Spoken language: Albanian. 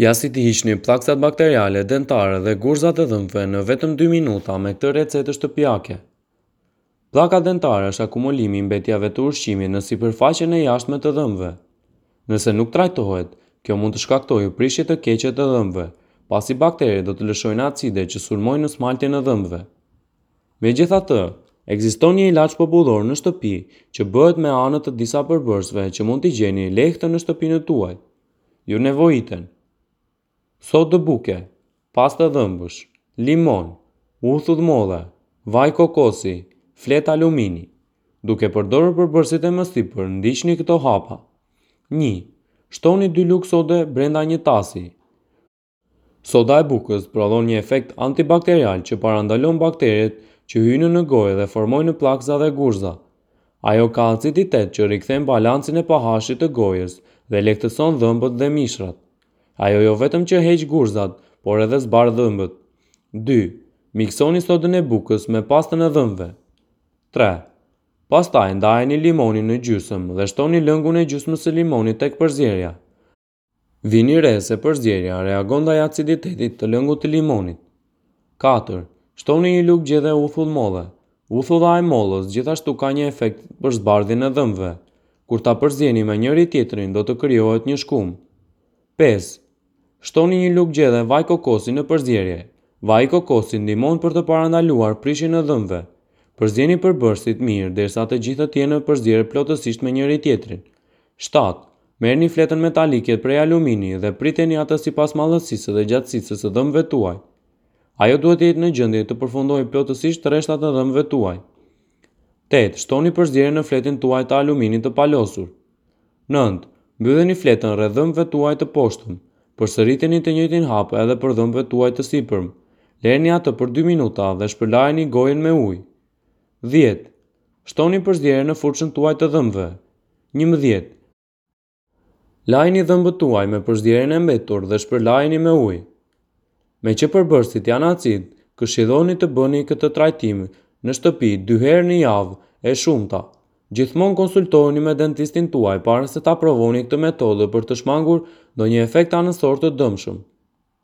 Ja si t'i hiqni pllakëzat bakteriale dentare dhe gurzat e dhëmbëve në vetëm 2 minuta me këtë recetë shtëpiake. Pllaka dentare është akumulimi i mbetjeve të ushqimit në sipërfaqen e jashtme të dhëmbëve. Nëse nuk trajtohet, kjo mund të shkaktojë prishje të keqe të dhëmbëve, pasi bakteret do të lëshojnë acide që sulmojnë smaltin e dhëmbëve. Megjithatë, ekziston një ilaç popullor në shtëpi që bëhet me anë të disa përbërësve që mund t'i gjeni lehtë në shtëpinë tuaj. Ju nevojiten sodë buke, pastë dhëmbësh, limon, uthull molle, vaj kokosi, fletë alumini. Duke përdorur përbërësit e mësipër, ndiqni këto hapa. 1. Shtoni 2 lugë sode brenda një tasi. Soda e bukës prodhon një efekt antibakterial që parandalon bakteret që hyjnë në gojë dhe formojnë pllakëza dhe gurza. Ajo ka aciditet që rikthen balancin e pH-it të gojës dhe lehtëson dhëmbët dhe mishrat. Ajo jo vetëm që heq gurzat, por edhe zbardh dhëmbët. 2. Miksoni sodën e bukës me pastën e dhëmbëve. 3. Pastaj ndajeni limonin në gjysmë dhe shtoni lëngun e gjysmës së limonit tek përzierja. Vini re se përzierja reagon ndaj aciditetit të lëngut të limonit. 4. Shtoni një lugë gjedhe uthull molle. Uthulla e mollës gjithashtu ka një efekt për zbardhjen e dhëmbëve. Kur ta përzieni me njëri tjetrin do të krijohet një shkumë. 5. Shtoni një lugë gjedhe vaj kokosi në përzierje. Vaji i kokosit ndihmon për të parandaluar prishjen e dhëmbëve. Përzieni përbërësit mirë derisa të gjithë të jenë përzierë plotësisht me njëri tjetrin. 7. Merrni fletën metalike prej alumini dhe priteni atë sipas madhësisë dhe gjatësisë së dhëmbëve tuaj. Ajo duhet të jetë në gjendje të përfundojë plotësisht rreshtat e dhëmbëve tuaj. 8. Shtoni përzierjen në fletën tuaj të aluminit të palosur. 9. Mbylleni fletën rreth dhëmbëve tuaj të poshtëm. Përsëriteni të njëjtin hap edhe për dhëmbëve tuaj të sipërm. Lëreni atë për 2 minuta dhe shpërlajeni gojën me ujë. 10. Shtoni përzierjen në furçën tuaj të dhëmbëve. 11. Lajini dhëmbët tuaj me përzierjen e mbetur dhe shpërlajeni me ujë. Meqë përbërësit janë acid, këshilloni të bëni këtë trajtim në shtëpi dy herë në javë e shumta. Gjithmonë konsultohuni me dentistin tuaj para se ta provoni këtë metodë për të shmangur ndonjë efekt anësor të dëmshëm.